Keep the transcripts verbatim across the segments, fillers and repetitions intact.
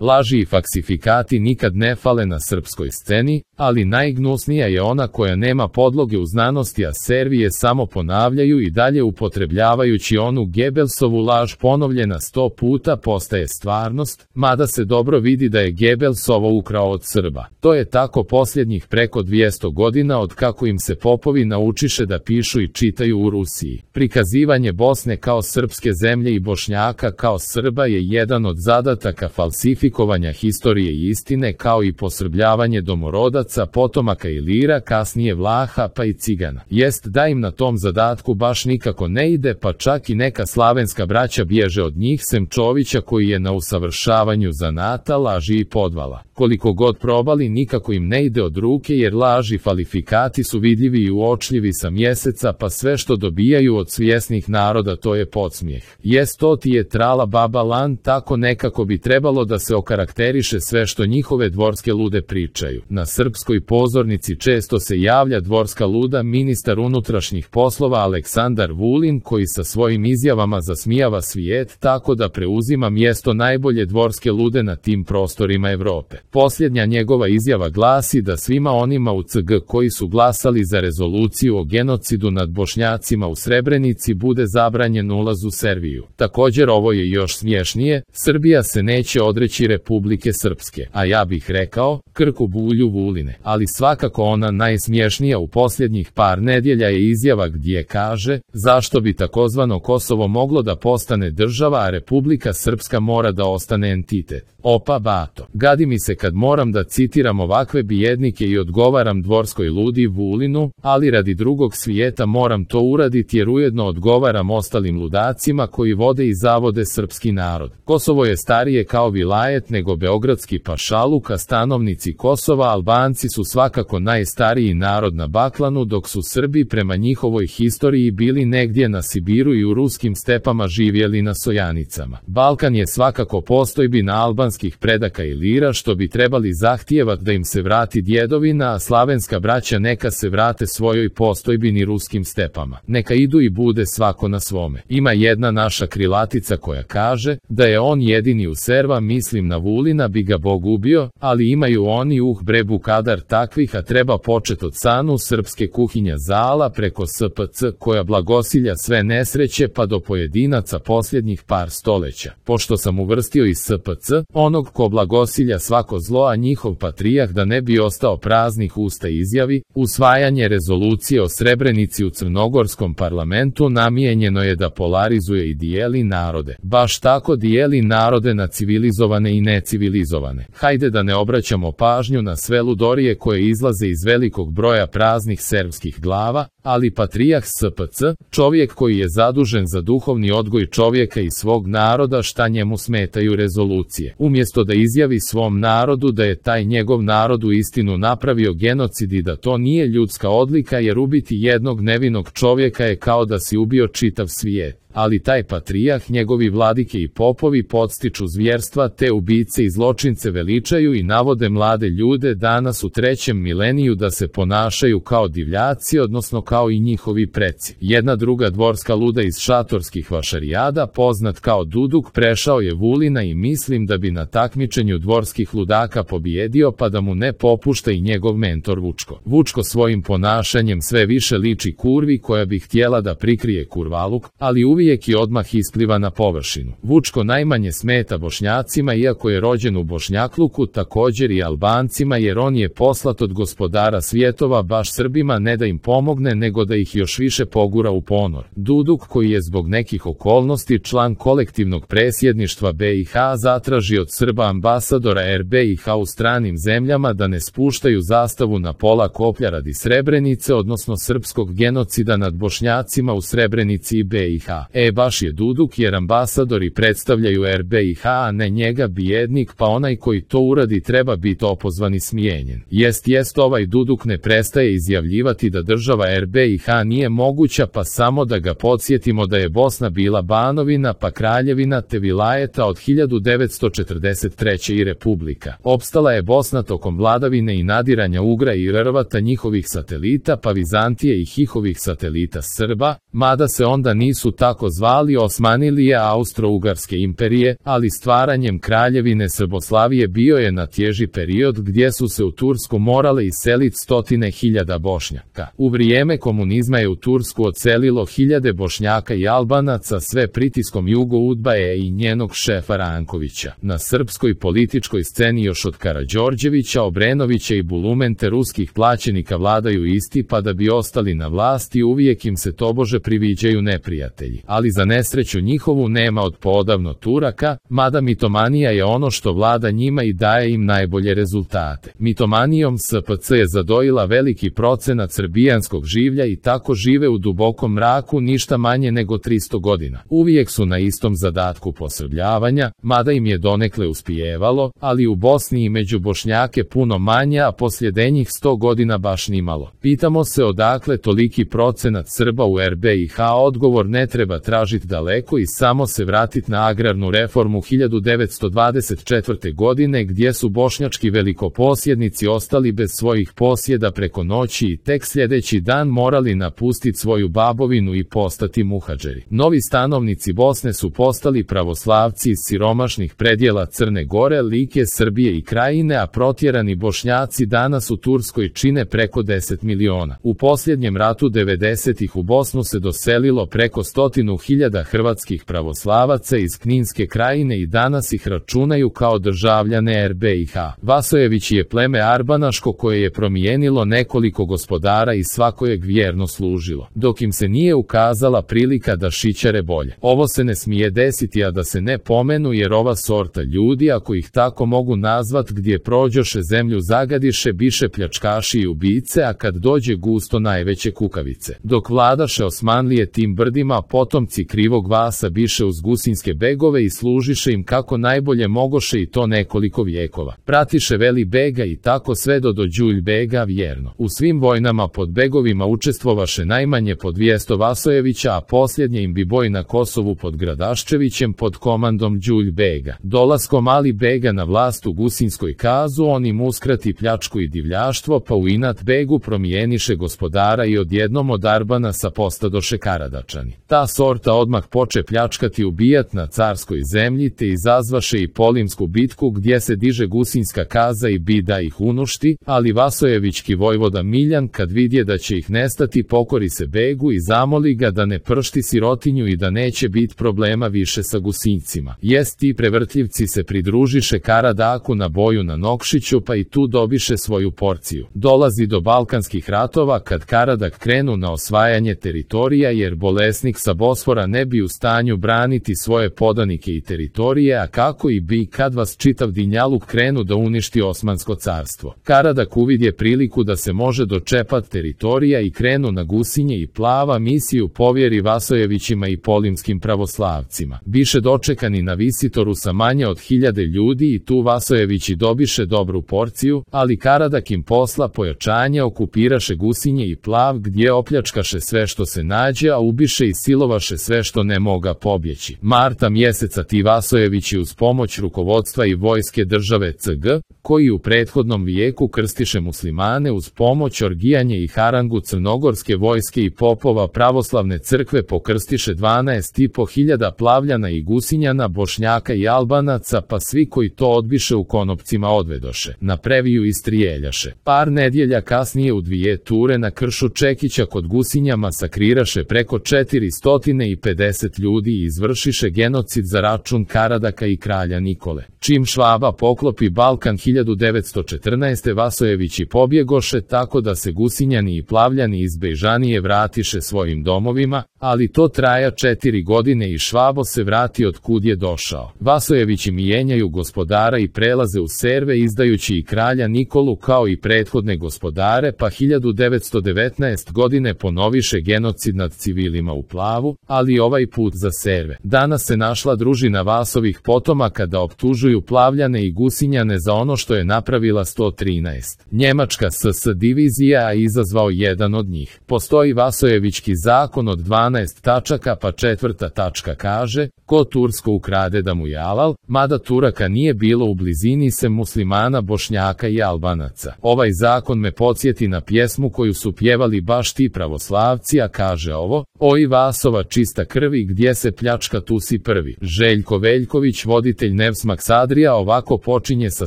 Laži i faksifikati nikad ne fale na srpskoj sceni, ali najgnusnija je ona koja nema podloge u znanosti, a servije samo ponavljaju i dalje upotrebljavajući onu Gebelsovu laž ponovljena sto puta postaje stvarnost, mada se dobro vidi da je Gebels ovo ukrao od Srba. To je tako posljednjih preko dvjesto godina od kako im se popovi naučiše da pišu i čitaju u Rusiji. Prikazivanje Bosne kao srpske zemlje i Bošnjaka kao Srba je jedan od zadataka falsifikovanja historije i istine, kao i posrbljavanje domorodaca, potomaka Ilira, kasnije Vlaha pa i Cigana. Jest da im na tom zadatku baš nikako ne ide, pa čak i neka slavenska braća bježe od njih, sem Čovića koji je na usavršavanju zanata, laži i podvala. Koliko god probali, nikako im ne ide od ruke, jer laži i falifikati su vidljivi i uočljivi sa mjeseca, pa sve što dobijaju od svjesnih naroda to je podsmijeh. Jest to ti je trala baba lan, tako nekako bi trebalo da se okarakteriše sve što njihove dvorske lude pričaju. Na srpskoj pozornici često se javlja dvorska luda ministar unutrašnjih poslova Aleksandar Vulin, koji sa svojim izjavama zasmijava svijet, tako da preuzima mjesto najbolje dvorske lude na tim prostorima Evrope. Posljednja njegova izjava glasi da svima onima u C G koji su glasali za rezoluciju o genocidu nad Bošnjacima u Srebrenici bude zabranjen ulaz u Serviju. Također ovo je još smješnije, Srbija se neće odreći Republike Srpske, a ja bih rekao, krku bulju Vuline. Ali svakako ona najsmješnija u posljednjih par nedjelja je izjava gdje kaže, zašto bi takozvano Kosovo moglo da postane država, a Republika Srpska mora da ostane entitet. Opa bato, gadi mi se kad moram da citiram ovakve bijednike i odgovaram dvorskoj ludi Vulinu, ali radi drugog svijeta moram to uraditi jer ujedno odgovaram ostalim ludacima koji vode i zavode srpski narod. Kosovo je starije kao vilajet nego beogradski pašaluk, a stanovnici Kosova, Albanci, su svakako najstariji narod na Baklanu, dok su Srbi prema njihovoj historiji bili negdje na Sibiru i u ruskim stepama živjeli na Sojanicama. Balkan je svakako postojbina albanskih predaka Ilira, što bi trebali zahtijevat da im se vrati djedovina, a slavenska braća neka se vrate svojoj postojbini ruskim stepama. Neka idu i bude svako na svome. Ima jedna naša krilatica koja kaže, da je on jedini u serva, mislim na Vulina, bi ga Bog ubio, ali imaju oni uh brebu kadar takvih, a treba počet od sanu srpske kuhinja zala preko S P C koja blagosilja sve nesreće pa do pojedinaca posljednjih par stoleća. Pošto sam uvrstio i S P C, onog ko blagosilja svako zlo, a njihov patrijah da ne bi ostao praznih usta izjavi, usvajanje rezolucije o Srebrenici u crnogorskom parlamentu namijenjeno je da polarizuje i dijeli narode. Baš tako dijeli narode na civilizovane i necivilizovane. Hajde da ne obraćamo pažnju na sve ludorije koje izlaze iz velikog broja praznih serbskih glava, ali patrijah S P C, čovjek koji je zadužen za duhovni odgoj čovjeka i svog naroda, šta njemu smetaju rezolucije. Umjesto da izjavi svom narodu da je taj njegov narod u istinu napravio genocid i da to nije ljudska odlika, jer ubiti jednog nevinog čovjeka je kao da si ubio čitav svijet. Ali taj patrijah, njegovi vladike i popovi podstiču zvjerstva, te ubice i zločince veličaju i navode mlade ljude danas u trećem mileniju da se ponašaju kao divljaci, odnosno kao i njihovi preci. Jedna druga dvorska luda iz šatorskih vašarijada, poznat kao Duduk, prešao je Vulina i mislim da bi na takmičenju dvorskih ludaka pobjedio, pa da mu ne popušta i njegov mentor Vučko. Vučko svojim ponašanjem sve više liči kurvi koja bi htjela da prikrije kurvaluk, ali uvijek uvijek i odmah ispliva na površinu. Vučko najmanje smeta Bošnjacima, iako je rođen u Bošnjakluku, također i Albancima, jer on je poslat od gospodara svjetova baš Srbima, ne da im pomogne, nego da ih još više pogura u ponor. Duduk, koji je zbog nekih okolnosti član kolektivnog presjedništva B i H, zatraži od Srba ambasadora R B i H u stranim zemljama da ne spuštaju zastavu na pola koplja radi Srebrenice, odnosno srpskog genocida nad Bošnjacima u Srebrenici i B i H. E baš je Duduk, jer ambasadori predstavljaju R B i H, a ne njega, bijednik, pa onaj koji to uradi treba biti opozvan i smijenjen. Jest jest ovaj Duduk ne prestaje izjavljivati da država R B i H nije moguća, pa samo da ga podsjetimo da je Bosna bila banovina, pa kraljevina, te vilajeta od hiljadu devetsto četrdeset treće i republika. Opstala je Bosna tokom vladavine i nadiranja Ugra i Rrvata, njihovih satelita, pa Vizantije i Hihovih satelita Srba, mada se onda nisu tako tako zvali Osmanlije Austro-Ugarske imperije, ali stvaranjem kraljevine Srboslavije bio je na tježi period gdje su se u Tursku morale iseliti stotine hiljada Bošnjaka. U vrijeme komunizma je u Tursku odselilo hiljade Bošnjaka i Albanaca sve pritiskom Jugo Udbaje i njenog šefa Rankovića. Na srpskoj političkoj sceni još od Karađorđevića, Obrenovića i Bulumente ruskih plaćenika vladaju isti, pa da bi ostali na vlasti uvijek im se tobože priviđaju neprijatelji. Ali za nesreću njihovu nema od poodavno Turaka, mada mitomanija je ono što vlada njima i daje im najbolje rezultate. Mitomanijom S P C je zadojila veliki procenat srbijanskog življa i tako žive u dubokom mraku ništa manje nego tristo godina. Uvijek su na istom zadatku posrbljavanja, mada im je donekle uspijevalo, ali u Bosni i među Bošnjake puno manje, a posljedenjih sto godina baš nimalo. Pitamo se odakle toliki procenat Srba u R B I H. Odgovor ne treba tražiti daleko i samo se vratiti na agrarnu reformu hiljadu devetsto dvadeset četvrte. godine gdje su bošnjački velikoposjednici ostali bez svojih posjeda preko noći i tek sljedeći dan morali napustiti svoju babovinu i postati muhadžeri. Novi stanovnici Bosne su postali pravoslavci iz siromašnih predjela Crne Gore, Like, Srbije i Krajine, a protjerani Bošnjaci danas u Turskoj čine preko deset miliona. U posljednjem ratu devedesetih u Bosnu se doselilo preko stotinu hiljada hrvatskih pravoslavaca iz Kninske Krajine i danas ih računaju kao državljane R B I H. Vasojević je pleme arbanaško koje je promijenilo nekoliko gospodara i svakojeg vjerno služilo, dok im se nije ukazala prilika da šićare bolje. Ovo se ne smije desiti, a da se ne pomenu, jer ova sorta ljudi, ako ih tako mogu nazvat, gdje prođoše zemlju zagadiše, biše pljačkaši i ubice, a kad dođe gusto najveće kukavice. Dok vladaše Osmanlije tim brdima, potomci krivog Vasa biše uz gusinske begove i služiše im kako najbolje mogoše, i to nekoliko vijekova. Pratiše Veli Bega i tako sve do do Đulj Bega vjerno. U svim vojnama pod begovima učestvovaše najmanje po dvjesto Vasojevića, a posljednje im bi boj na Kosovu pod Gradaščevićem pod komandom Đulj Bega. Dolaskom Ali Bega na vlast u Gusinskoj kazu on im uskrati pljačku i divljaštvo, pa u inat Begu promijeniše gospodara i odjednom od Arbanasa postadoše Karadačani. Ta sorta odmah poče pljačkati i ubijat na carskoj zemlji, te izazvaše i Polimsku bitku gdje se diže Gusinska kaza i bi da ih unušti, ali Vasojevićki vojvoda Miljan kad vidje da će ih nestati pokori se Begu i zamoli ga da ne pršti sirotinju i da neće bit problema više sa Gusincima. Jest, ti prevrtljivci se pridružiše Karadaku na boju na Nokšiću, pa i tu dobiše svoju porciju. Dolazi do balkanskih ratova kad Karadak krenu na osvajanje teritorija, jer bolesnik sa Bosfora ne bi u stanju braniti svoje podanike i teritorije, a kako i bi kad vas čitav dinjaluk krenu da uništi Osmansko carstvo. Karadak uvidje priliku da se može dočepat teritorija i krenu na Gusinje i Plava, misiju povjeri Vasojevićima i polimskim pravoslavcima. Biše dočekani na Visitoru sa manje od hiljade ljudi i tu Vasojevići dobiše dobru porciju, ali Karadak im posla pojačanje, okupiraše Gusinje i Plav gdje opljačkaše sve što se nađe, a ubiše i silovaše sve što ne moga pobjeći. Marta mjeseca ti Vasojevići uz pomoć rukovodstva i vojske države C G, koji u prethodnom vijeku krstiše muslimane, uz pomoć Orgijanje i harangu crnogorske vojske i popova pravoslavne crkve pokrstiše dvanaest i po hiljada Plavljana i Gusinjana, Bošnjaka i Albanaca, pa svi koji to odbiše u konopcima odvedoše na previju i strijeljaše. Par nedjelja kasnije u dvije ture na kršu Čekića kod Gusinja masakriraše preko četiristo pedeset ljudi i izvršiše genocid za račun Karadaka i kralja Nikole. Čim Švaba poklopi Balkan hiljadu devetsto četrnaeste. Vasojevići pobjegoše, tako da se Gusinjani i Plavljani iz Bejžanije vratiše svojim domovima, ali to traja četiri godine i Švabo se vrati od kud je došao. Vasojevići mijenjaju gospodara i prelaze u Serve, izdajući i kralja Nikolu kao i prethodne gospodare, pa hiljadu devetsto devetnaeste. godine ponoviše genocid nad civilima u Plavu, ali ovaj put za Serve. Danas se našla družina Vasovih potomaka da optužuju Plavljane i Gusinjane za ono što što je napravila sto trinaest njemačka S S divizija, a izazvao jedan od njih. Postoji Vasojevićki zakon od dvanaest tačaka, pa četvrta tačka kaže: ko Tursko ukrade da mu je alal, mada Turaka nije bilo u blizini sem muslimana, Bošnjaka i Albanaca. Ovaj zakon me podsjeti na pjesmu koju su pjevali baš ti pravoslavci, a kaže ovo: oj Vasova čista krvi, gdje se pljačka tu si prvi. Željko Veljković, voditelj Nevsmax Adria, ovako počinje sa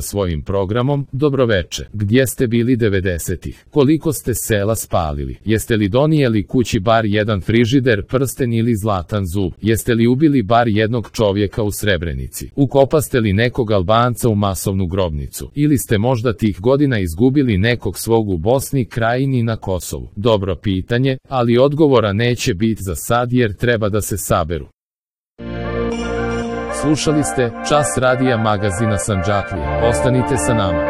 svojim programom: dobroveče, gdje ste bili devedesetih? Koliko ste sela spalili? Jeste li donijeli kući bar jedan frižider, prsten ili zlatan zub? Jeste li ubili bar jednog čovjeka u Srebrenici? Ukopaste li nekog Albanca u masovnu grobnicu? Ili ste možda tih godina izgubili nekog svog u Bosni, Krajini, na Kosovu? Dobro pitanje, ali odgovora neće biti za sad jer treba da se saberu. Slušali ste Čas radija magazina Sandžaklija. Ostanite sa nama.